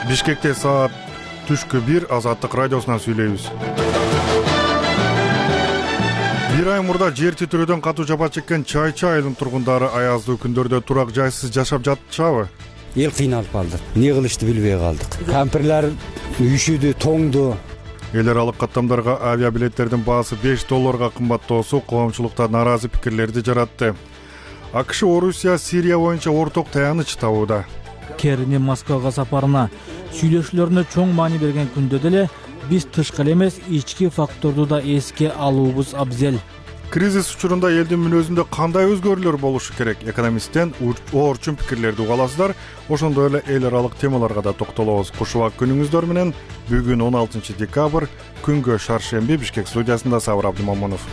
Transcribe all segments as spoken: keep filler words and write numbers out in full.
Бишкекте саат түшкү бир Азаттык радиосунан сүйлөйбүз. Бир ай мурда жер титирөөдөн катуу жапа чеккен Чайчы айылынын тургундары аяздуу күндөрдө турак жайсыз жашап жатышабы? Эл кыйналып калды. Эмне кылышты билбей калдык. Кампирлер үйшүдү, тоңду. Эл аралык каттамдарга авиабилеттердин баасы беш долларга кымбаттоосу коомчулукта нааразы пикирлерди жаратты. АКШ Орусия Сирия боюнча орток таяныч табууда. Керинин Москвага сапарына сүйлөшүүлөрүнө чоң маани берген күндө деле биз тышкы эле эмес ички факторду да эске алуубуз абзел. Кризис учурунда элдин мүнөзүндө кандай өзгөрүүлөр болушу керек? Экономисттен оорчун пикирлерди уга аласыздар. Ошондой эле эл аралык темаларга да токтолобуз. Кушубак күнүңүздөр менен бүгүн он алтынчы декабрь күнгө шаршемби Бишкек студиясында Сабыр Абдымамунов.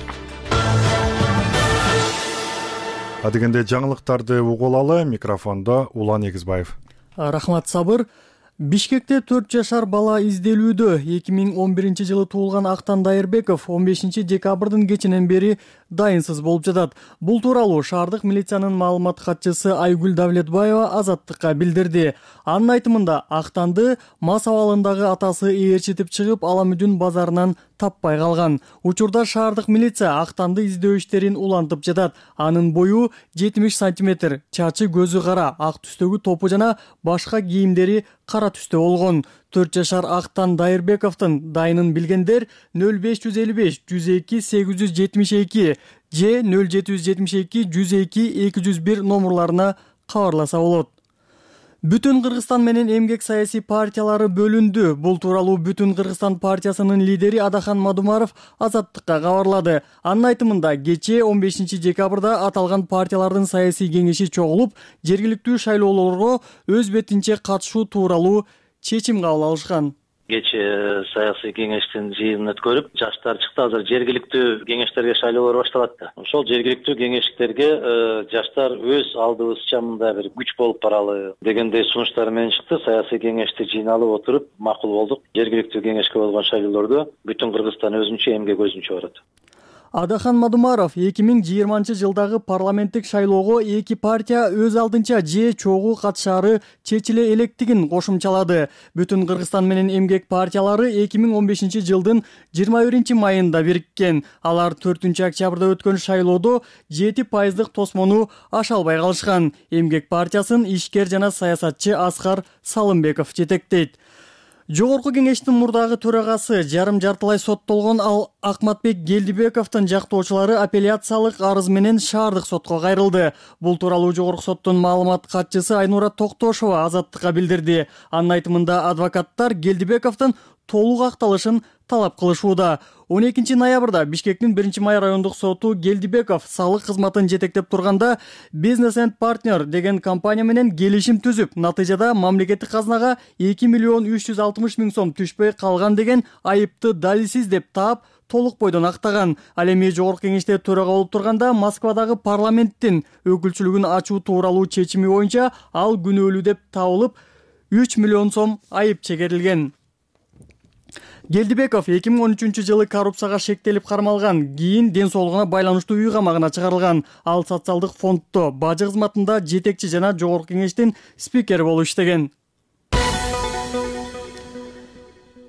Адегенде жаңылыктарды угулалы, микрофондо Улан Эгизбаев. Рахмат Сабыр. Бишкекте төрт жашар бала изделүүдө. эки миң он биринчи жылы туулган Актан Дайырбеков он бешинчи декабрдын кечинен бери дайынсыз болуп жатат. Бул тууралуу шаардык милициянын маалымат катчысы Айгүл Давлетбаева Азаттыкка билдирди. Анын айтымында Актанды мас абалындагы атасы ээрчитип чыгып, Аламүдүн базарынан таппай калган. Учурда шаардык милиция Актанды издөө иштерин улантып жатат. Анын бою жетимиш сантиметр, чачы көзү кара, ак түстөгү топу жана башка кийимдери кара түстө болгон. төрт жашар Актан Дайырбековдун дайынын билгендер нөл беш жүз элүү беш жүз эки сегиз жүз жетимиш эки же нөл жети жүз жетимиш эки жүз эки эки жүз бир номурларына кабарласа болот. Бүтүн Кыргызстан менен эмгек саясий партиялары бөлүндү. Бул тууралуу Бүтүн Кыргызстан партиясынын лидери Адахан Мадумаров Азаттыкка кабарлады. Анын айтымында кечээ он бешинчи декабрда аталган партиялардын саясий кеңеши чогулуп, жергиликтүү шайлоолорго өз бетинче катышуу тууралуу чечим кабыл алышкан. Кечээ саясий кеңештин жыйынын өткөрүп, жаштар чыкты. Азыр жергиликтүү кеңештерге шайлоолор башталат да. Ошол жергиликтүү кеңештерге жаштар өз алдыбызча мындай бир күч болуп баралы дегендей сунуштар менен чыкты. Саясий кеңешти жыйналып отуруп макул болдук. Жергиликтүү кеңешке болгон шайлоолордо Бүтүн Кыргызстан өзүнчө, эмгек өзүнчө барат. Адахан Мадумаров эки миң жыйырманчы жылдагы парламенттик шайлоого эки партия өз алдынча же чогуу катышаары чечиле электигин кошумчалады. Бүтүн Кыргызстан менен эмгек партиялары эки миң он бешинчи жылдын жыйырма биринчи майында бириккен. Алар төртүнчү октябрда өткөн шайлоодо жети пайыздык тосмону аша албай калышкан. Эмгек партиясын ишкер жана саясатчы Аскар Салымбеков жетектейт. Жогорку кеңештин мурдагы төрагасы жарым жартылай соттолгон ал Акматбек Гелдибековдун жактоочулары апелляциялык арыз менен шаардык сотко кайрылды. Бул тууралуу жогорку соттун маалымат катчысы Айнура Токтошова Азаттыкка билдирди. Анын айтымында адвокаттар Гелдибековдун толук акталышын талап кылышууда. он экинчи ноябрда Бишкектин биринчи май райондук соту Гелдибеков салык кызматын жетектеп турганда Business and Partner деген компания менен келишим түзүп, натыйжада мамлекеттик казынага эки миллион үч жүз алтымыш миң сом түшпөй калган деген айыпты далилсиз деп таап, толук бойдон актаган. Ал эми жогорку кеңеште төрага болуп турганда Москвадагы парламенттин өкүлчүлүгүн ачуу тууралуу чечими боюнча ал күнөөлүү деп табылып, үч миллион сом айып чегерилген. Гелдибеков эки миң он үчүнчү жылы коррупцияга шектелип кармалган, кийин ден соолугуна байланыштуу үй камагына чыгарылган. Ал социалдык фонддо бажы кызматында жетекчи жана жогорку кеңештин спикери болуп иштеген.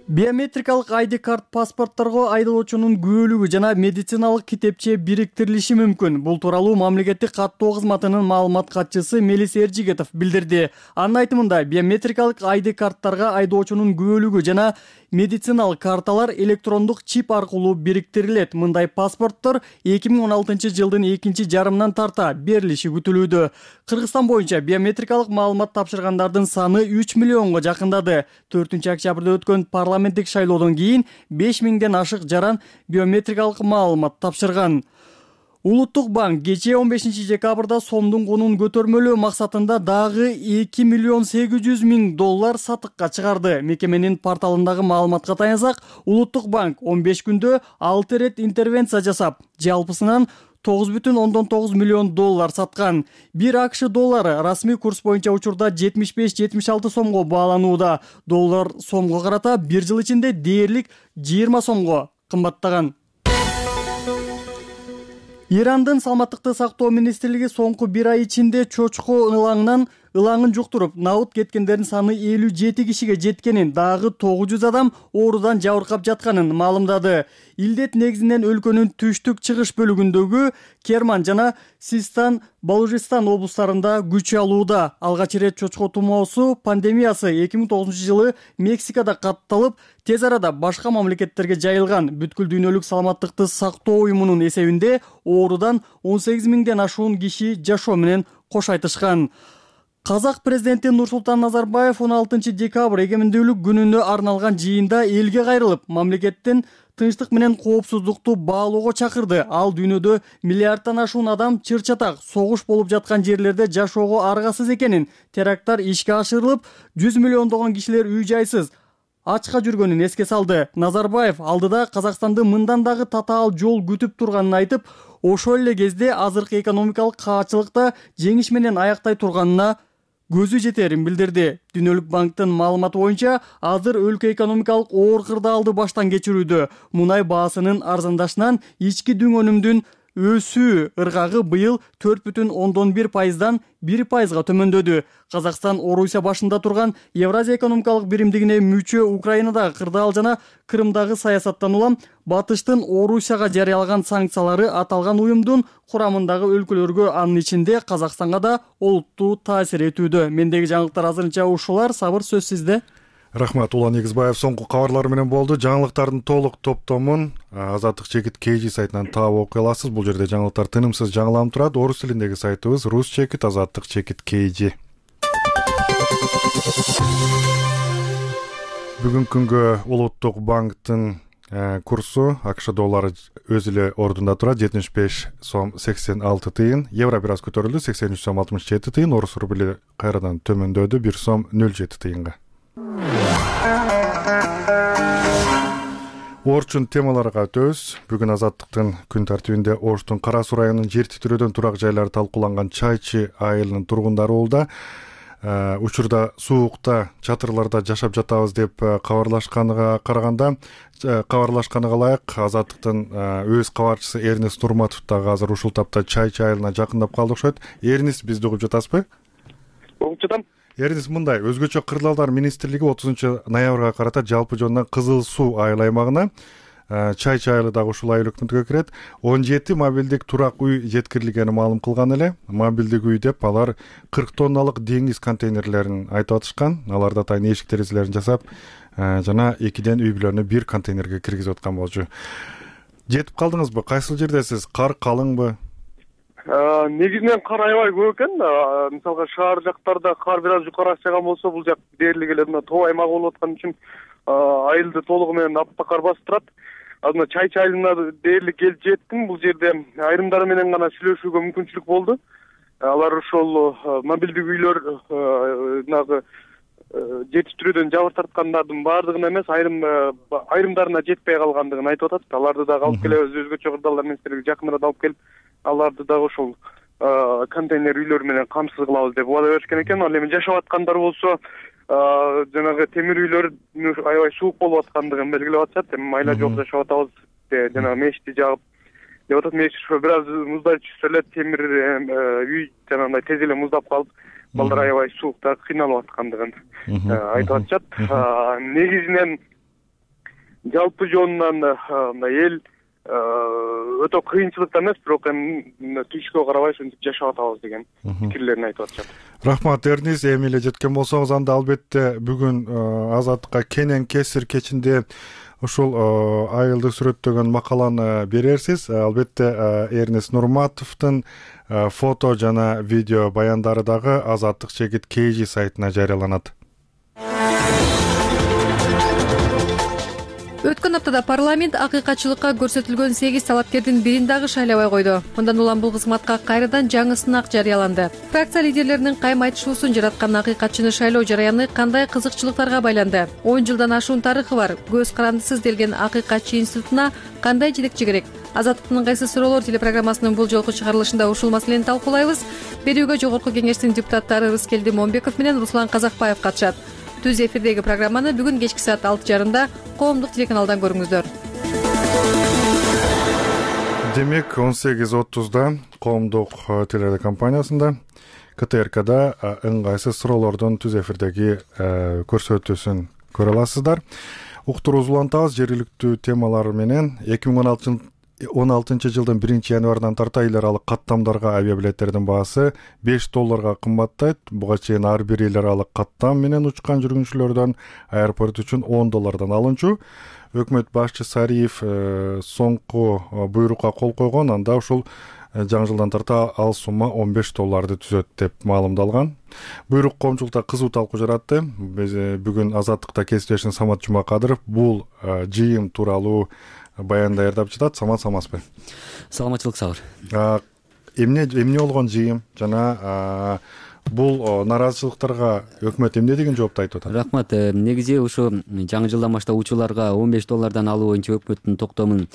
Биометрикалык ай ди карт паспортторго айдоочунун күбөлүгү жана медициналык китепче бириктирилиши мүмкүн. Бул тууралуу мамлекеттик каттоо кызматынын маалымат катчысы Мелис Эржигетов билдирди. Анын айтымында биометрикалык ай ди карттарга айдоочунун күбөлүгү жана медициналык карталар электрондук чип аркылуу бириктирилет. Мындай паспорттор эки миң он алтынчы жылдын экинчи жарымынан тарта берилиши күтүлүүдө. Кыргызстан боюнча биометрикалык маалымат тапшыргандардын саны үч миллионго жакындады. төртүнчү октябрда өткөн парламенттик шайлоодон кийин беш миңден ашык жаран биометрикалык маалымат тапшырган. Улуттук банк кечээ он бешинчи декабрда сомдун кунун көтөрмөлөө максатында дагы эки миллион сегиз жүз миң доллар сатыкка чыгарды. Мекеменин порталындагы маалыматка таянсак, Улуттук банк он беш күндө алты ирет интервенция жасап, жалпысынан тогуз бүтүн ондон тогуз миллион доллар саткан. Бир АКШ доллары расмий курс боюнча учурда жетимиш беш жетимиш алты сомго бааланууда. Доллар сомго карата бир жыл ичинде дээрлик жыйырма сомго кымбаттаган. Ирандын саламаттыкты сактоо министрлиги соңку бир ай ичинде чочко ылаңынан ылаңын жуктуруп, набыт кеткендердин саны элүү жети кишиге жеткенин, дагы тогуз жүз адам оорудан жабыркап жатканын маалымдады. Илдет негизинен өлкөнүн түштүк чыгыш бөлүгүндөгү Керман жана Систан, Балужистан облустарында күч алууда. Алгач ирет чочко тумоосу пандемиясы эки миң тогузунчу жылы Мексикада катталып, тез арада башка мамлекеттерге жайылган. Бүткүл дүйнөлүк саламаттыкты сактоо уюмунун эсебинде оорудан он сегиз миңден ашуун киши жашоо менен кош айтышкан. Казак президенти Нурсултан Назарбаев он алтынчы декабрь эгемендүүлүк күнүнө арналган жыйында элге кайрылып, мамлекеттин тынчтык менен коопсуздукту баалоого чакырды. Ал дүйнөдө миллиардтан ашуун адам чыр-чатак согуш болуп жаткан жерлерде жашоого аргасыз экенин, теракттар ишке ашырылып, жүз миллиондогон кишилер үй-жайсыз, ачка жүргөнүн эске салды. Назарбаев алдыда Казакстанды мындан дагы татаал жол күтүп турганын айтып, ошол эле кезде азыркы экономикалык каачылыкта жеңиш менен аяктай турганына көзү жетерин билдирди. Дүйнөлүк банктын маалыматы боюнча, азыр өлкө экономикалык оор кырдаалды баштан кечирүүдө. Мунай баасынын арзандашынан ички дүң өнүмдүн өсүү ыргагы быйыл төрт бүтүн ондон бир пайыздан бир пайызга төмөндөдү. Казакстан Орусия башында турган Евразия экономикалык биримдигине мүчө Украинадагы кырдаал жана Крымдагы саясаттан улам Батыштын Орусияга жарыялаган санкциялары аталган уюмдун курамындагы өлкөлөргө, анын ичинде Казакстанга да олуттуу таасир этүүдө. Мендеги жаңылыктар азырынча ушулар. Сабыр, сөз сизде. Рахмат, Улан Негизбаев соңку кабарлар менен болду. Жаңылыктардын толук топтомун Азаттык чекит кей жи сайтынан таап окуй аласыз. Бул жерде жаңылыктар тынымсыз жаңыланып турат. Орус тилиндеги сайтыбыз Рус чекит Азаттык чекит кей жи. Бүгүнкү күнгө Улуттук банктын курсу АКШ доллары өз эле ордунда турат. жетимиш беш сом сексен алты тыйын. Евро бир аз көтөрүлдү. сексен үч сом алтымыш жети тыйын. Орус рубли кайрадан төмөндөдү. бир сом нөл жети тыйынга. Орчун темаларга өтөбүз. Бүгүн Азаттыктын күн тартибинде Оштун Кара Суу районунун жер титирөөдөн турак жайлары талкууланган Чайчы айылынын тургундары болду. Учурда суукта, чатырларда жашап жатабыз деп кабарлашканга караганда, кабарлашканга ылайык Азаттыктын өз кабарчысы Эрнис Нурматов дагы азыр ушул тапта Чайчы айылына жакындап калды окшойт. Эрнис, бизди угуп жатасызбы? Угуп жатам. Эрнис, мындай, өзгөчө кырдаалдар министрлиги отузунчу ноябрга карата жалпы жонунан Кызыл Суу айыл аймагына, Чайчы айылы дагы ушул айыл өкмөтүгө кирет, он жети мобилдик турак үй жеткирилгени маалым кылган эле. Мобилдик үй деп алар кырк тонналык деңиз контейнерлерин айтып атышкан. Аларда атайын эшик терезелерин жасап, жана экиден үй бүлөнү бир контейнерге киргизип аткан болчу. Жетип калдыңызбы? Кайсыл жердесиз? Кар калыңбы? Негизинен кар аябай көп экен. Мисалга шаар жактарда кар бир аз жукарыраак жааган болсо, бул жак дээрлик эле мына тоо аймагы болуп аткан үчүн айылды толугу менен аппак кар басып турат. Азыр Чайчы айылына дээрлик келип жеттим. Бул жерде айрымдары менен гана сүйлөшүүгө мүмкүнчүлүк болду. Алар ошол мобилдик үйлөр нагы жетиштирүүдөн жабыр тарткандардын баардыгына эмес, айрым айрымдарына жетпей калгандыгын айтып атат. Аларды дагы алып келебиз, өзгөчө кырдаалдар министрлиги жакыныраак алып келип, аларды дагы ошол контейнер үйлөр менен камсыз кылабыз деп убада беришкен экен. Ал эми жашап аткандар болсо, жанагы темир үйлөр аябай суук болуп аткандыгын белгилеп атышат. Эми майла жок жашап атабыз, жанагы мешти жагып деп атат. Мешти бир аз муздай түшсө эле темир үй жанагындай тез эле муздап калып, балдар аябай суукта кыйналып аткандыгын айтып атышат. Негизинен жалпы жонунан мындай эл өтө кыйынчылыкта эмес, бирок эми түшкө карабай ушинтип жашап атабыз деген пикирлерин айтып атышат. Рахмат, Эрнис. Эми эле жеткен болсоңуз, анда албетте бүгүн Азаттыкка кенен кесир кечинде ушул айылды сүрөттөгөн макаланы берерсиз. Албетте Эрнис Нурматовдун фото жана видео баяндары дагы Азаттык чекит кей жи сайтына жарыяланат. Өткөн аптада парламент акыйкатчылыкка көрсөтүлгөн сегиз талапкердин бирин дагы шайлабай койду. Мындан улам бул кызматка кайрадан жаңы сынак жарыяланды. Фракция лидерлеринин кайым айтышуусун жараткан акыйкатчыны шайлоо жараяны кандай кызыкчылыктарга байланды? он жылдан ашуун тарыхы бар көз карандысыз делген акыйкатчы институтуна кандай жетекчи керек? Азаттыктын ыңгайсыз суроолор телепрограммасынын бул жолку чыгарылышында ушул маселени талкуулайбыз. Берүүгө Жогорку кеңештин депутаттары Рыскелди Момбеков менен Руслан Казакбаев катышат. Түз эфирдеги программаны бүгүн кечки саат алты жарымда коомдук телеканалдан көрүңүздөр. Демек, он сегиз отузда коомдук телерадио компаниясында ка тэ эр када ыңгайсыз суроолордун түз эфирдеги көрсөтүүсүн көрө аласыздар. Уктуруубузду улантабыз. Жергиликтүү темалар менен эки миң он алтынчы жылдын биринчи январынан тарта эл аралык каттамдарга авиабилеттердин баасы беш долларга кымбаттайт. Буга чейин ар бир эл аралык каттам менен учкан жүргүнчүлөрдөн аэропорт үчүн он доллардан алынчу. Өкмөт башчысы Ариев соңку буйрукка кол койгон. Анда ушул жаңы жылдан тарта ал сумма он беш долларды түзөт деп маалымдалган. Буйрук коомчулукта кызуу талкуу жаратты. Биз бүгүн Азаттыкта кесиптешим Самат Жумакадыров бул жыйын тууралуу баян даярдап жатат. Самат, саматсызбы? Саламатчылык, сабыр. Эмне эмне болгон жыйын жана бул нараазычылыктарга өкмөт эмне деген жоопту айтып атат? Рахмат. Негизи ушу жаңы жылдан баштап учууларга он беш доллардан алуу боюнча өкмөттүн токтомун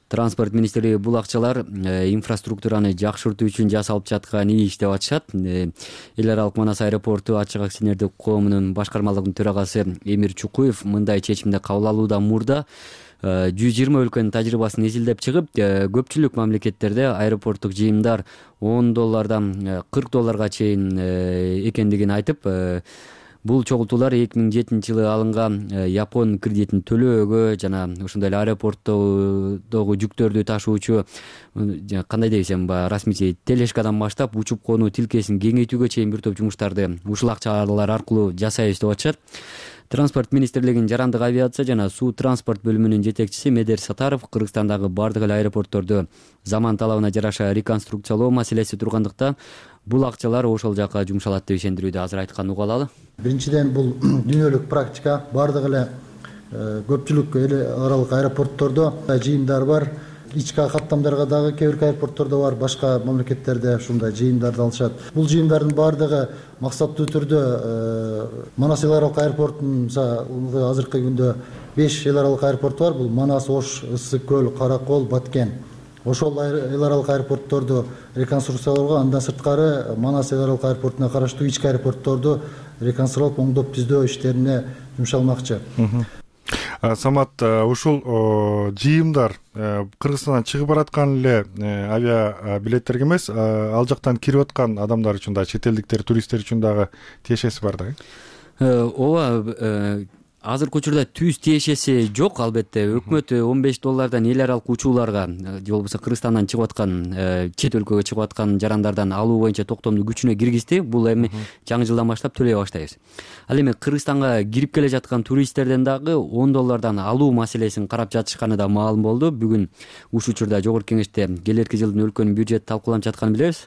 Транспорт министри бул акчалар инфраструктураны жакшыртуу үчүн жасалып жаткан иш деп атышат. Эл аралык Манас аэропорту ачык акционердик коомунун башкармалыгынын төрагасы Эмир Чукуев мындай чечимди кабыл алуудан мурда жүз жыйырма өлкөнүн тажрыйбасын эзилдеп чыгып, көпчүлүк мамлекеттерде аэропорттук жыйымдар он доллардан кырк долларга чейин экендигин айтып, бул чогултуулар эки миң жетинчи жылы алынган Япон кредитин төлөөгө жана ошондой эле аэропорттогу жүктөрдү ташуучу кандай десем, расмий телешкадан баштап учуп конуу тилкесин кеңейтүүгө чейин бир топ жумуштарды ушул акчалар аркылуу жасайбыз деп атышат. Транспорт министрлигинин жарандык авиация жана суу транспорт бөлүмүнүн жетекчиси Медер Сатаров Кыргызстандагы бардык эле аэропортторду заман талабына жараша реконструкциялоо маселеси тургандыктан бул акчалар ошол жака жумшалат деп ишендирүүдө. Азыр айтканын уга алалы. Биринчиден, бул дүйнөлүк практика. Бардык эле көпчүлүк эл аралык аэропорттордо жыйымдар бар. Ички каттамдарга дагы кээ бир аэропорттордо бар, башка мамлекеттерде ушундай жыйымдарды алышат. Бул жыйымдардын баардыгы максаттуу түрдө Манас эл аралык аэропортунун азыркы күндө беш эл аралык аэропорту бар. Бул Манас, Ош, Ысык көл, Каракол, Баткен. Ошол эл аралык аэропортторду реконструкциялоого, андан сырткары Манас эл аралык аэропортуна караштуу ички аэропортторду реконструкталып, оңдоп түздөө иштерине жумшалмакчы. Самат, ушул жыйымдар Кыргызстандан чыгып бараткан эле авиа билеттерге эмес, ал жактан кирип аткан адамдар үчүн да, чет элдиктер, туристтер үчүн дагы тиешеси бар да? Ооба, азыркы учурда түз тиешеси жок. Албетте өкмөт он беш доллардан эл аралык учууларга же болбосо Кыргызстандан чыгып аткан, чет өлкөгө чыгып аткан жарандардан алуу боюнча токтомду күчүнө киргизди. Бул эми жаңы жылдан баштап төлөй баштайбыз. Ал эми Кыргызстанга кирип келе жаткан туристтерден дагы он доллардан алуу маселесин карап жатышканы да маалым болду. Бүгүн ушул учурда жогорку кеңеште келерки жылдын өлкөнүн бюджети талкууланып жатканын билебиз.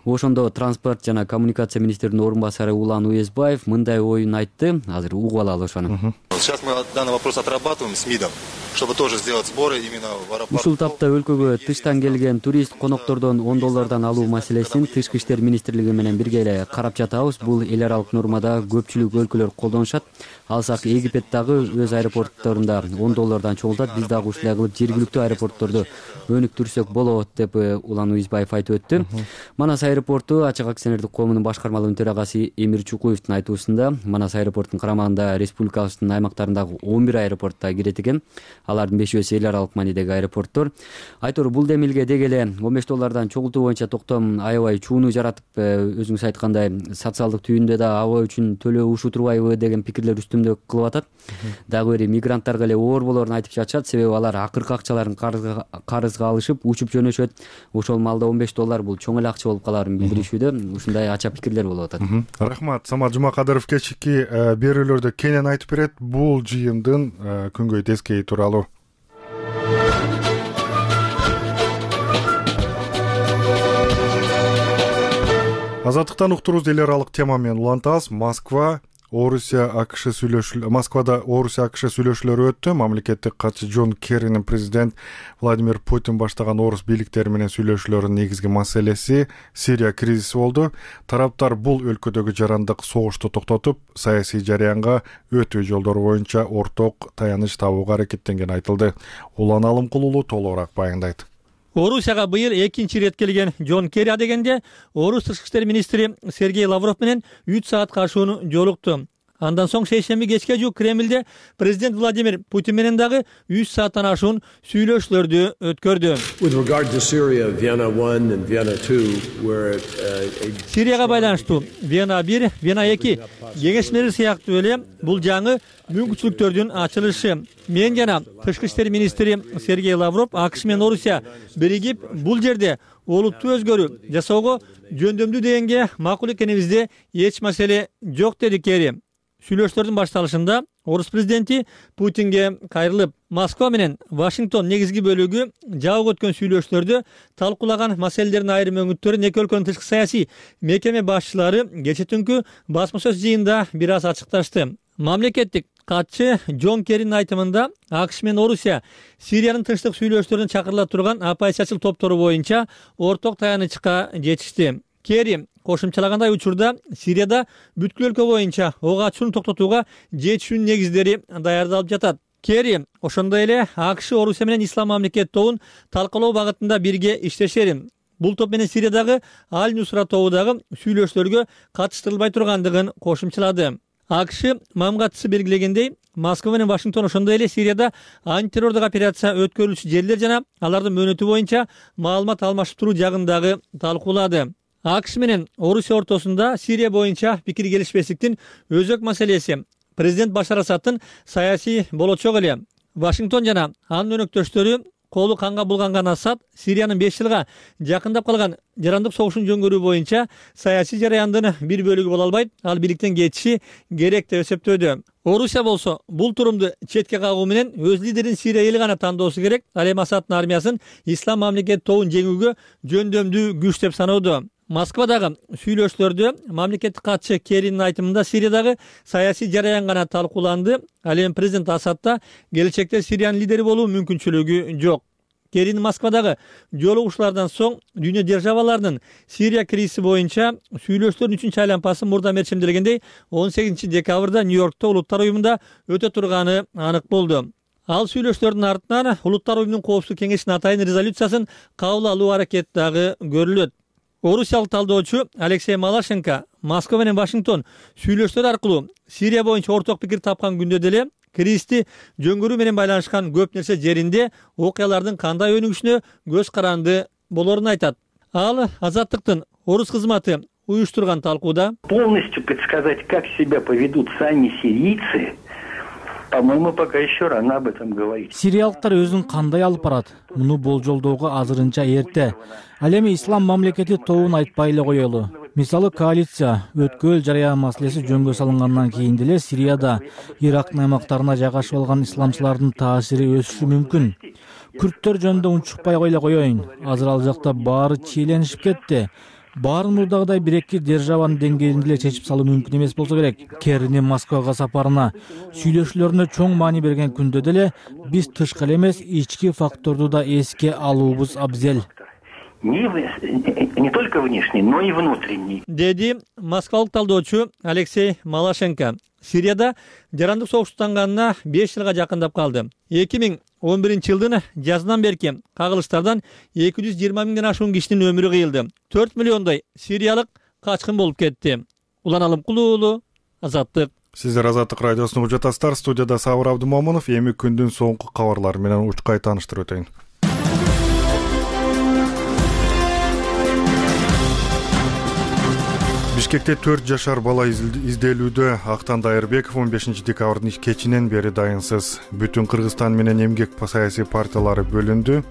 Ошондо транспорт жана коммуникация министринин орун басары Улан Уезбаев мындай оюн айтты. Азыр угуп алалы ошону. Сейчас мы данный вопрос отрабатываем с МИДом, чтобы тоже сделать сборы именно в аэропорт. Ушул тапта өлкөгө тыштан келген турист коноктордон он доллардан алуу маселесин Тышкы иштер министрлиги менен бирге эле карап жатабыз. Бул эл аралык нормада көпчүлүк өлкөлөр колдонушат. Алсак Египет дагы өз аэропортторунда он доллардан чогултат. Биз дагы ушулай кылып жергиликтүү аэропортторду өнүктүрсөк болот деп Улан Уезбаев айтып өттү. Манас аэропорту ачык акционердик коомунун башкармалыгынын төрагасы Эмир Чукуевдин айтуусунда Манас аэропортунун карамагында республикабыздын аймактарындагы он бир аэропортта кирет экен. Алардын бешөөсү эл аралык маанидеги аэропорттор. Айтор бул демилге деги эле он беш доллардан чогултуу боюнча токтом аябай чууну жаратып, өзүңүз айткандай социалдык түйүндө да аба үчүн төлөө ушу турбайбы деген пикирлер үстүмдө кылып атат. Дагы бир мигранттарга эле оор болоорун айтып жатышат. Себеби алар акыркы акчаларын карызга алышып, учуп жөнөшөт. Ошол маалда он беш доллар бул чоң эле акча болуп калаарын билдиришүүдө. Ушундай ача пикирлер болуп атат. Рахмат. Самат Жумакадыров кечки берүүлөрдө кенен айтып берет бул жыйындын күнгөй тескейи тууралуу. Азаттыктан уктуруубузду эл аралык тема менен улантабыз. Москва Орусия АКШ сүйлөшүүлөр Москвада Орусия АКШ сүйлөшүүлөрү өттү. Мамлекеттик катчы Джон Керринин президент Владимир Путин баштаган орус бийликтери менен сүйлөшүүлөрдүн негизги маселеси Сирия кризиси болду. Тараптар бул өлкөдөгү жарандык согушту токтотуп, саясий жарыянга өтүү жолдору боюнча орток таяныч табууга аракеттенген айтылды. Улан Алымкулуулу толугураак баяндайт. Орусияга быйыл экинчи ирет келген Джон Керри адегенде орус тышкы иштер министри Сергей Лавров менен үч саат кашууну жолукту. Андан соң шейшемби кечке жуук Кремлде президент Владимир Путин менен дагы үч сааттан ашуун сүйлөшүүлөрдү өткөрдү. Сирияга байланыштуу Вена бир, Вена эки кеңешмелери сыяктуу эле бул жаңы мүмкүнчүлүктөрдүн ачылышы. Мен жана тышкы иштер министри Сергей Лавров АКШ менен Орусия биригип бул жерде олуттуу өзгөрүү жасоого жөндөмдүү дегенге макул экенибизде эч маселе жок, деди Керри. Сүйлөшүүлөрдүн башталышында Орус президенти Путинге кайрылып, Москва менен Вашингтон негизги бөлүгү жабык өткөн сүйлөшүүлөрдө талкуулаган маселелердин айрым өңүттөрүн эки өлкөнүн тышкы саясий мекеме башчылары кече түнкү басма-сөз жыйынында бир аз ачыкташты. Мамлекеттик катчы Джон Керринин айтымында АКШ менен Орусия Сириянын тынчтык сүйлөшүүлөрүнө чакырыла турган оппозициячыл топтору боюнча орток таянычка жетишти. Керри кошумчалагандай, учурда Сирияда бүткүл өлкө боюнча ок ачууну токтотууга жетишүүнүн негиздери даярдалып жатат. Керри ошондой эле АКШ Орусия менен Ислам мамлекет тобун талкалоо багытында бирге иштешерин, бул топ менен Сириядагы Аль-Нусра тобу дагы сүйлөшүүлөргө катыштырылбай тургандыгын кошумчалады. АКШ мамгатчысы белгилегендей, Москва менен Вашингтон ошондой эле Сирияда антитеррордук операция өткөрүлүшү жерлер жана алардын мөөнөтү боюнча маалымат алмашып туруу жагын дагы талкуулады. АКШ менен Орусия ортосунда Сирия боюнча пикир келишпестиктин өзөк маселеси президент Башар Асадтын саясий болочогу эле. Вашингтон жана анын өнөктөштөрү колу канга булганган Асад Сириянын беш жылга жакындап калган жарандык согушун жөнгөрүү боюнча саясий жараяндын бир бөлүгү боло албайт, ал бийликтен кетиши керек деп эсептөөдө. Орусия болсо бул турумду четке кагуу менен өз лидерин Сирия эли гана тандоосу керек, ал эми Асадтын армиясын Ислам мамлекет тобун жеңүүгө жөндөмдүү күч деп саноодо. Москвадагы сүйлөшүүлөрдө мамлекеттик катчы Керринин айтымында Сириядагы саясий жараян гана талкууланды, ал эми президент Асадта келечекте Сириянын лидери болуу мүмкүнчүлүгү жок. Керрин Москвадагы жолугушуулардан соң дүйнө державаларынын Сирия кризиси боюнча сүйлөшүүлөрдүн үчүнчү айланпасы мурда мерчимделгендей он сегизинчи декабрда Нью-Йоркто Улуттар уюмунда өтө турганы анык болду. Ал сүйлөшүүлөрдүн артынан Улуттар уюмунун коопсуздук кеңешинин атайын резолюциясын кабыл алуу аракети дагы көрүлөт. Орусиялык талдоочу Алексей Малашенко Москва менен Вашингтон сүйлөшүүлөр аркылуу Сирия боюнча орток пикир тапкан күндө деле кризисти жөнгөрүү менен байланышкан көп нерсе жеринде окуялардын кандай өнүгүшүнө көз каранды болорун айтат. Ал Азаттыктын Орус кызматы уюштурган талкууда полностью предсказать, как себя поведут сами сирийцы, по-моему, пока еще рано об этом говорить. Сириялыктар өзүн кандай алып барат? Муну болжолдоого азырынча эрте. Ал эми Ислам мамлекети тобун айтпай эле коелу. Мисалы, коалиция өткөл жараян маселеси жөнгө салынгандан кийин деле Сирияда Ирактын аймактарына жайгашып алган исламчылардын таасири өсүшү мүмкүн. Күрттөр жөнүндө унчукпай эле коеюн. Азыр ал жакта баары чиеленишип кетти. Баарын мурдагыдай бир-эки державанын деңгээлинде эле чечип салуу мүмкүн эмес болсо керек. Керринин Москвага сапарына сүйлөшүүлөрүнө чоң маани берген күндө деле биз тышкы эле эмес, ички факторду да эске алуубуз абзел. Не, не только внешний, но и внутренний. Деди москвалык талдоочу Алексей Малашенко. Сирияда жарандык согуштанганына беш жылга жакындап калды. эки миң он биринчи жылдын жазынан берки кагылыштардан эки жүз жыйырма миңден ашуун кишинин өмүрү кыйылды. төрт миллиондой сириялык качкын болуп кетти. Улан Алымкулуу уулу, Азаттык. Сиздер Азаттык радиосун угуп жатасыздар. Студияда Сабыр Абдымомунов. Эми күндүн соңку кабарлары менен учкай тааныштырып өтөйүн. Бишкекте төрт жашар бала изделүүдө. Актан Дайырбеков он бешинчи декабрдын кечинен бери дайынсыз. Бүтүн Кыргызстан менен эмгек саясий партиялары бөлүндү.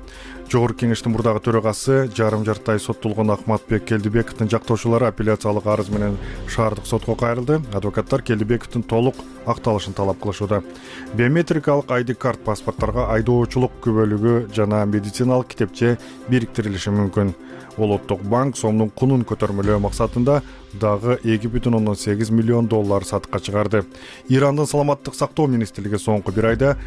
Жогорку кеңештин мурдагы төрагасы жарым жарттай соттолгон Акматбек Келдибековдун жактоочулары апелляциялык арыз менен шаардык сотко кайрылды. Адвокаттар Келдибековдун толук акталышын талап кылышууда. Биометрикалык ай ди карт паспорттарга айдоочулук күбөлүгү жана медициналык китепче бириктирилиши мүмкүн. Улуттук банк сомдун кунун көтөрмөлөө максатында дагы эки бүтүн ондон сегиз миллион доллар сатыкка чыгарды. Ирандын саламаттык сактоо министрлиги соңку бир айда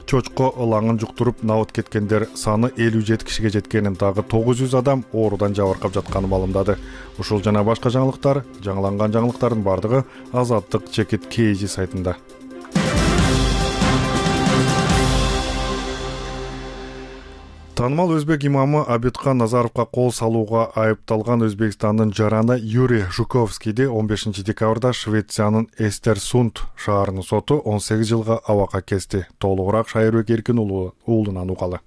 чочко ылаңын жуктуруп набыт кеткендер саны элүү жети кишиге жеткенин, дагы тогуз жүз адам оорудан жабыркап жатканын маалымдады. Ушул жана башка жаңылыктар, жаңыланган жаңылыктардын бардыгы Азаттык Чекит Кейжи сайтында. Таанымал өзбек имамы Абидхан Назаровго кол салууга айыпталган Өзбекстандын жараны Юрий Жуковскийди он бешинчи декабрда Швециянын Эстерсунд шаарынын соту он сегиз жылга абакка кести. Толугураак Шайырбек Эркин уулунан угалы.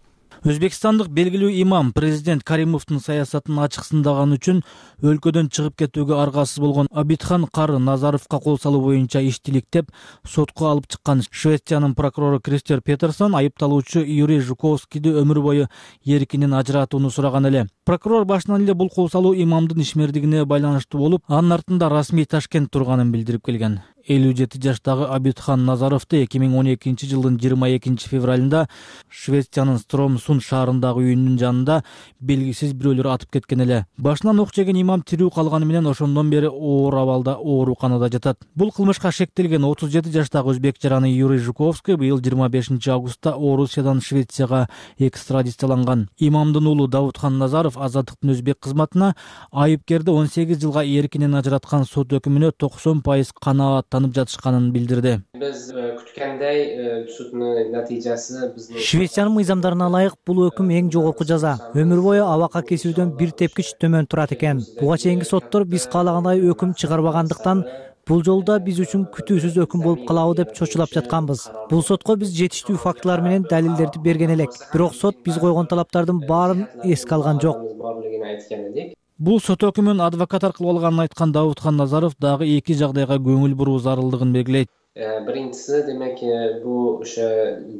Өзбекстандык белгилүү имам президент Каримовдун саясатын ачык сындаган үчүн өлкөдөн чыгып кетүүгө аргасыз болгон Абидхан Кары Назаровго кол салуу боюнча иштиликтеп сотко алып чыккан. Швециянын прокурору Кристер Петерсон айыпталуучу Юрий Жуковскийди өмүр бою эркинен ажыратууну сураган эле. Прокурор башынан эле бул кол салуу имамдын ишмердигине байланыштуу болуп, анын артында расмий Ташкент турганын билдирип келген. элүү жети жаштагы Абидхан Назаровду эки миң он экинчи жылдын жыйырма экинчи февралында Швециянын Стромсунд шаарындагы үйүнүн жанында белгисиз бирөөлөр атып кеткен эле. Башынан ок жеген имам тирүү калганы менен ошондон бери оор абалда ооруканада жатат. Бул кылмышка шектелген отуз жети жаштагы өзбек жараны Юрий Жуковский быйыл жыйырма бешинчи августта Орусиядан Швецияга экстрадицияланган. Имамдын уулу Давудхан Назаров азаттыктын өзбек кызматына айыпкерди он сегиз жылга эркинен ажыраткан сот өкүмүнө токсон пайыз канаат танып жатышканын билдирди. Биз күткөндөй суддун натыйжасы биздин Швециянын мыйзамдарына ылайык бул өкүм эң жогорку жаза. Өмүр бою абакка кесүүдөн бир тепкич төмөн турат экен. Буга чейинки соттор биз каалагандай өкүм чыгарбагандыктан бул жолу да биз үчүн күтүүсүз өкүм болуп калабы деп чочулап жатканбыз. Бул сотко биз жетиштүү фактылар менен далилдерди берген элек. Бирок сот биз койгон талаптардын баарын эске алган жок. Бул сот өкүмүн адвокат аркылуу алганын айткан Давудхан Назаров дагы эки жагдайга көңүл буруу зарылдыгын белгилейт. Биринчиси демек бул ошо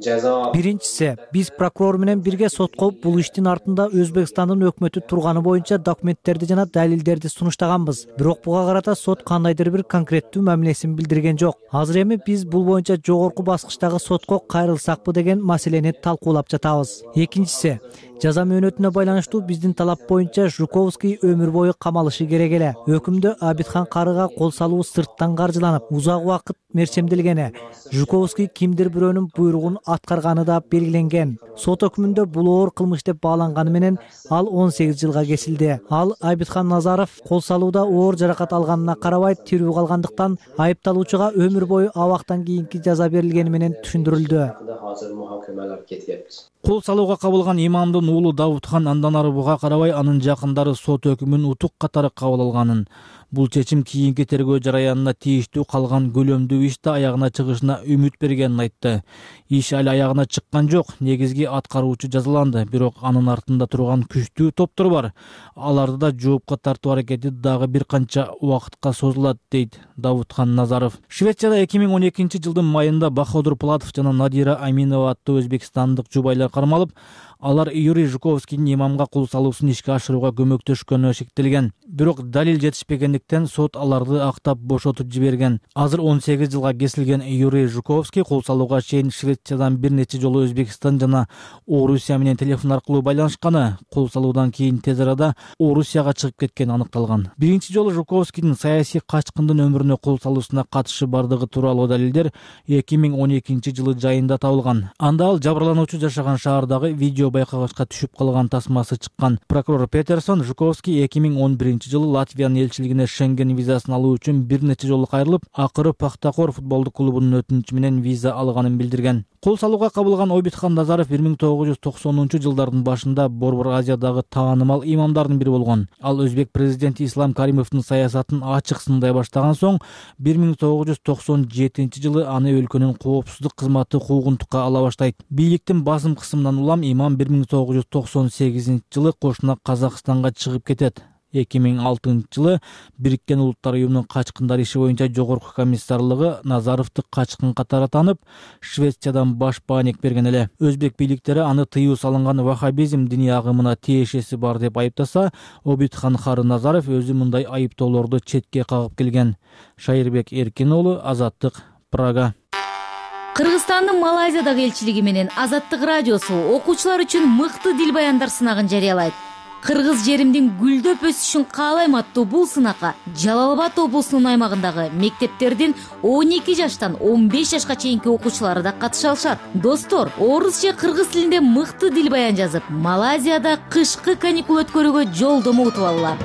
жаза Биринчиси биз прокурор менен бирге сотко бул иштин артында Өзбекстандын өкмөтү турганы боюнча документтерди жана далилдерди сунуштаганбыз. Бирок буга карата сот кандайдыр бир конкреттүү мамилесин билдирген жок. Азыр эми биз бул боюнча жогорку баскычтагы сотко кайрылсакпы деген маселени талкуулап жатабыз. Экинчиси жаза мөөнөтүнө байланыштуу биздин талап боюнча Жуковский өмүр бою камалышы керек эле. Өкүмдө Абидхан Карыга кол салуу сырттан каржыланып, узак убакыт мерчемделгени, Жуковский кимдир бирөөнүн буйругун аткарганы да белгиленген. Сот өкүмүндө бул оор кылмыш деп бааланганы менен ал он сегиз жылга кесилди. Ал Абидхан Назаров кол салууда оор жаракат алганына карабай тирүү калгандыктан айыпталуучуга өмүр бою абактан кийинки жаза берилгени менен түшүндүрүлдү. Кол салууга кабылган имамдын уулу Давудхан андан ары буга карабай анын жакындары сот өкүмүн утук катары кабыл алганын, бул чечим кийинки тергөө жараянына тийиштүү калган көлөмдүү ишти аягына чыгышына үмүт бергенин айтты. Иш али аягына чыккан жок, негизги аткаруучу жазаланды, бирок анын артында турган күчтүү топтор бар. Аларды да жоопко тартуу аракети дагы бир канча убакытка созулат, дейт Давудхан Назаров. Швецияда эки миң он экинчи жылдын майында Бахадур Платов жана Надира Аминова аттуу өзбекстандык жубайлар кармалып, алар Юрий Жуковскийдин имамга кол салуусун ишке ашырууга көмөктөшкөнү шектелген. Бирок далил жетишпегендиктен сот аларды актап бошотуп жиберген. Азыр он сегиз жылга кесилген Юрий Жуковский кол салууга чейин Швециядан бир нече жолу Өзбекстан жана Орусия менен телефон аркылуу байланышканы, кол салуудан кийин тез арада Орусияга чыгып кеткени аныкталган. Биринчи жолу Жуковскийдин саясий качкындын өмүрүнө кол салуусуна катышы бардыгы тууралуу далилдер эки миң он экинчи жылы жайында табылган. Анда ал жабырлануучу жашаган шаардагы видео байкагычка түшүп калган тасмасы чыккан. Прокурор Петерсон Жуковский эки миң он биринчи жылы Латвиянын элчилигине Шенген визасын алуу үчүн бир нече жолу кайрылып, акыры Пахтакор футболдук клубунун өтүнүчү менен виза алганын билдирген. Кол салууга кабылган Абидхан Назаров бир миң тогуз жүз токсонунчу жылдардын башында Борбор Азиядагы таанымал имамдардын бири болгон. Ал өзбек президенти Ислам Каримовдун саясатын ачык сындай баштаган соң бир миң тогуз жүз токсон жетинчи жылы аны өлкөнүн коопсуздук кызматы куугунтукка ала баштайт. Бийликтин басым кысымынан улам имам бир миң тогуз жүз токсон сегизинчи жылы кошуна Казакстанга чыгып кетет. эки миң алтынчы жылы Бириккен Улуттар уюмунун качкындар иши боюнча жогорку комиссарлыгы Назаровду качкын катары танып, Швециядан баш бааник берген эле. Өзбек бийликтери аны тыюу салынган ваххабизм диний агымына тиешеси бар деп айыптаса, Абидхан Кары Назаров өзү мындай айыптоолорду четке кагып келген. Шайырбек Эркин уулу, Азаттык, Прага. Кыргызстандын Малайзиядагы элчилиги менен Азаттык радиосу окуучулар үчүн мыкты дил баяндар сынагын жарыялайт. Кыргыз жеримдин гүлдөп өсүшүн каалайм аттуу бул сынакка Жалал Абад облусунун аймагындагы мектептердин он эки жаштан он беш жашка чейинки окуучулары да катыша алышат. Достор, орус же кыргыз тилинде мыкты дил баян жазып, Малайзияда кышкы каникул өткөрүүгө жолдомо утуп алгыла.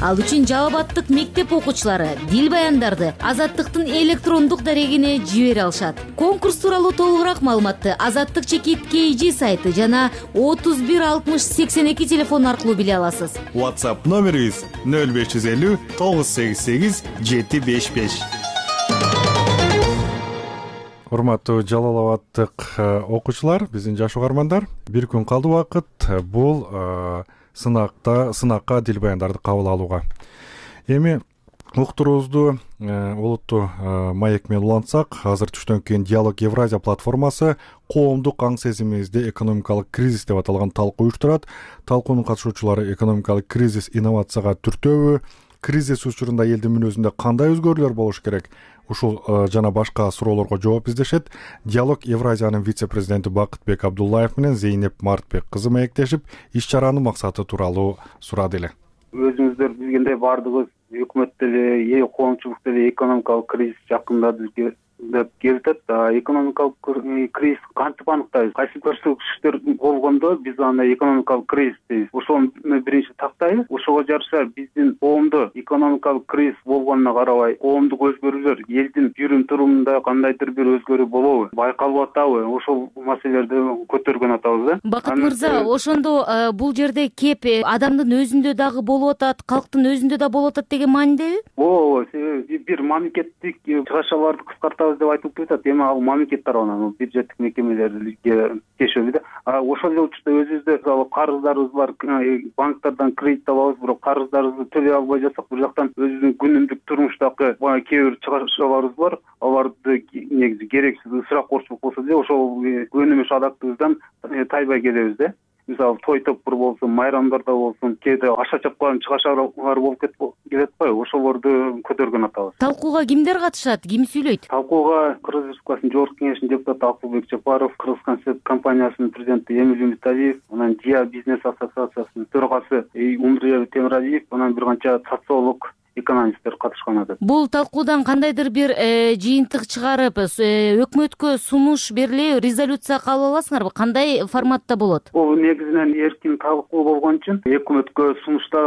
Ал үчүн Жалал Абадтык мектеп окуучулары дил баяндарды Азаттыктын электрондук дарегине жибере алышат. Конкурс тууралуу толугураак маалыматты Азаттык чекит кей жи сайты жана отуз бир алтымыш сексен эки телефон аркылуу биле аласыз. WhatsApp номерибиз нөл беш жүз элүү тогуз сегиз сегиз жети беш беш. Урматтуу Жалал Абадтык окуучулар, биздин жаш угармандар, бир күн калды убакыт бул сынакта сынакка дил баяндарды кабыл алууга. Эми уктуруубузду олуттуу маек менен улантсак, азыр түштөн кийин Диалог Евразия платформасы коомдук аң сезимибизди экономикалык кризис деп аталган талкуу уюштурат. Талкуунун катышуучулары экономикалык кризис инновацияга түртөбү, кризис учурунда элдин мүнөзүндө кандай өзгөрүүлөр болуш керек, ушул жана башка суроолорго жооп издешет. Диалог Евразиянын вице-президенти Бакытбек Абдуллаев менен Зейнеп Мартбек кызы маектешип, иш чаранын максаты тууралуу сурады эле. Өзүңүздөр билгендей баардыгыбыз өкмөт деле, эл коомчулук деле экономикалык кризис жакында бизге деп келип атат. Экономикалык кризис кантип аныктайбыз? Кайсы көрсөтүктөр болгондо биз аны экономикалык кризис дейбиз. Ошону биринчи тактайбыз. Ошого жараша биздин коомдо экономикалык кризис болгонуна карабай, коомдук өзгөрүүлөр, элдин жүрүм турумунда кандайдыр бир өзгөрүү болобу, байкалып атабы? Ошол маселелерди көтөргөн атабыз да. Бакыт мырза, ошондо бул жерде кеп адамдын өзүндө дагы болуп атат, калктын өзүндө да болуп атат деген маанидеби? Ооба, бир мамлекеттик чыгашаларды кыскартабыз деп айтылып жатат. Эми ал мамлекет тарабынан бюджеттик мекемелерге тиешелүү да. Ошол эле учурда өзүбүздө мисалы карыздарыбыз бар, банктардан кредит алабыз, бирок карыздарыбызды төлөй албай жатсак, бир жактан өзүбүздүн күнүмдүк турмуштагы кээ бир чыгашаларыбыз бар. Аларды негизи керексиз ысырапкорчулук болсо деле ошол өнүмүш адактыбыздан тайбай келебиз да. Мисалы той топур болсун, майрамдарда болсун, кээде аша чапкан чыгашалар болуп келет го, ошолорду көтөргөн атабыз. Талкууга кимдер катышат, ким сүйлөйт? Талкууга Кыргыз Республикасынын Жогорку Кеңешинин депутаты Акылбек Жапаров, Кыргыз концерт компаниясынын президенти Эмиль Үмүталиев, анан Диа бизнес ассоциациясынын төрагасы Умрия Темиралиев, анан бир канча социолог, экономисттер катышкан атат. Бул талкуудан кандайдыр бир жыйынтык чыгарып, өкмөткө сунуш берилип, резолюция кабыл аласыңарбы? Кандай форматта болот? Бул негизинен эркин талкуу болгон үчүн өкмөткө сунушта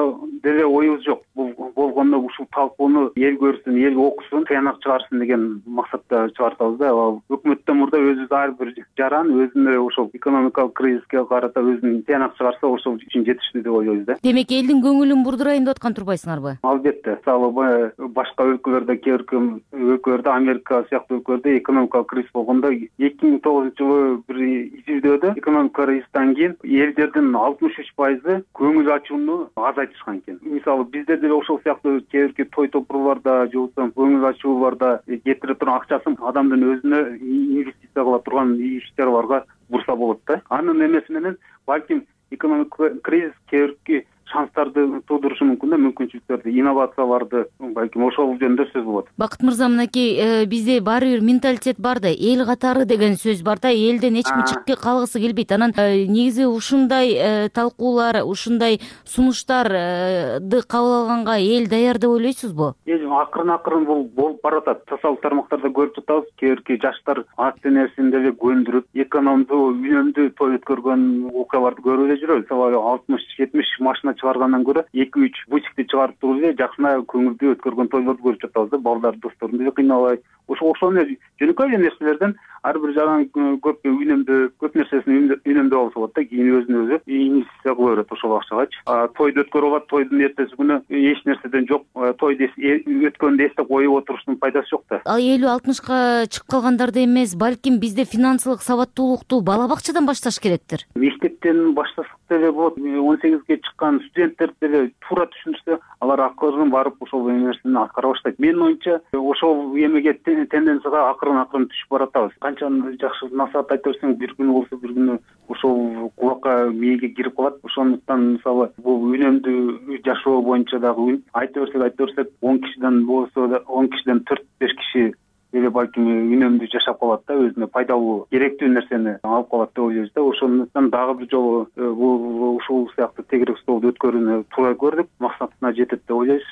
деле оюбуз жок. Бул болгондо ушул талкууну эл көрсүн, эл окусун, тыянак чыгарсын деген максатта чыгартабыз да. Өкмөттөн мурда өзүбүз ар бир жаран өзүнө ошол экономикалык кризиске карата өзүнүн тыянак чыгарса, ошол үчүн жетиштүү деп ойлойбуз да. Демек, элдин көңүлүн бурдурайын деп аткан турбайсыңарбы? Албетте. Мисалы башка өлкөлөрдө, кээ бир өлкөлөрдө, Америка сыяктуу өлкөлөрдө экономикалык кризис болгондо эки миң тогузунчу жылы бир изилдөөдө экономикалык кризистен кийин элдердин алтымыш үч пайызы көңүл ачууну азайтышкан экен. Мисалы бизде деле ошол сыяктуу кээ бир той топурларда же болбосо көңүл ачууларда кетире турган акчасын адамдын өзүнө инвестиция кыла турган иш-чараларга бурса болот да. Анын эмеси менен балким экономикалык кризис кээ бир шанстарды туудурушу мүмкүн да, мүмкүнчүлүктөрдү, инновацияларды, балким ошол жөнүндө сөз болот. Бакыт мырза, мынакей бизде баары бир менталитет бар да, эл катары деген сөз бар да, элден эч ким чыгып калгысы келбейт. Анан негизи ушундай талкуулар, ушундай сунуштарды кабыл алганга эл даяр деп ойлойсузбу? Эл акырын-акырын бул болуп баратат. Социалдык тармактарда көрүп жатабыз, кээ бир жаштар ат денесин деле көндүрүп, экономдуу, үнөмдүү той өткөргөн окуяларды көрүп эле жүрөбүз. Мисалы алтымыш жетимиш машина чыгаргандан көрө эки үч бутикти чыгарып туруп эле жакшына көңүлдүү өткөргөн тойлорду көрүп жатабыз да. Балдар, досторун деле кыйнабай, ошо ошол жөнөкөй эле нерселерден ар бир жаран көп үнөмдүү, көп нерсесин үнөмдөө болсо болот да, кийин өзүнө өзү инвестиция кыла берет ошол акчагачы. Тойду өткөрүп алат, тойдун эртеси күнү эч нерседен жок, тойду өткөндү эстеп коюп отуруштун пайдасы жок да. Ал элүү алтымышка чыгып калгандарды эмес, балким бизде финансылык сабаттуулукту бала бакчадан башташ керектир. Мектептен баштасак деле болот. он сегизге чыккан студенттер деле туура түшүнүшсө, алар акырын барып ошол нерсени аткара баштайт. Менин оюмча, ошол эмеге тенденцияга акырын-акырын түшүп баратабыз. Канча жакшы насаат айта берсең, бир күнү болсо бир күнү ошол кулакка, мээге кирип калат. Ошондуктан мисалы бул үнөмдүү жашоо боюнча дагы айта берсек, айта берсек, он кишиден болсо да он кишиден төрт беш киши эле балким үнөмдүү жашап калат да, өзүнө пайдалуу, керектүү нерсени алып калат деп ойлойбуз да. Ошондуктан дагы бир жолу бул ушул сыяктуу тегерек столду өткөрүүнү туура көрдүк, максатына жетет деп ойлойбуз.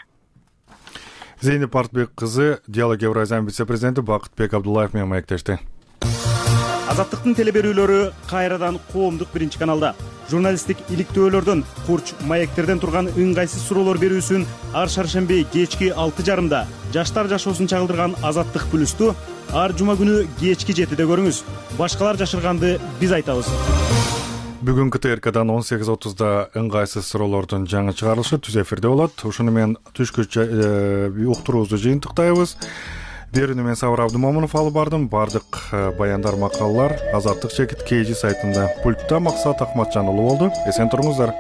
Зейнеп Мартбек кызы Диалог Евразиянын вице-президенти Бакытбек Абдуллаев менен маектешти. Азаттыктын телеберүүлөрү кайрадан коомдук биринчи каналда. журналисттик иликтөөлөрдөн, курч маектерден турган ыңгайсыз суроолор берүүсүн ар шаршемби кечки алты жарымда жаштар жашоосун чагылдырган Азаттык плюсту ар жума күнү кечки жетиде көрүңүз. Башкалар жашырганды биз айтабыз. Бүгүнкү ТРКдан он сегиз отузда ыңгайсыз суроолордун жаңы чыгарылышы түз эфирде болот. Ушуну менен түшкү уктуруубузду жыйынтыктайбыз. Берүүнү мен Сабыр Абдымомунов алып бардым. Бардык баяндар, макалалар Азаттык чекит кей жи сайтында. Пультта Максат Акматжан уулу болду. Эсен туруңуздар.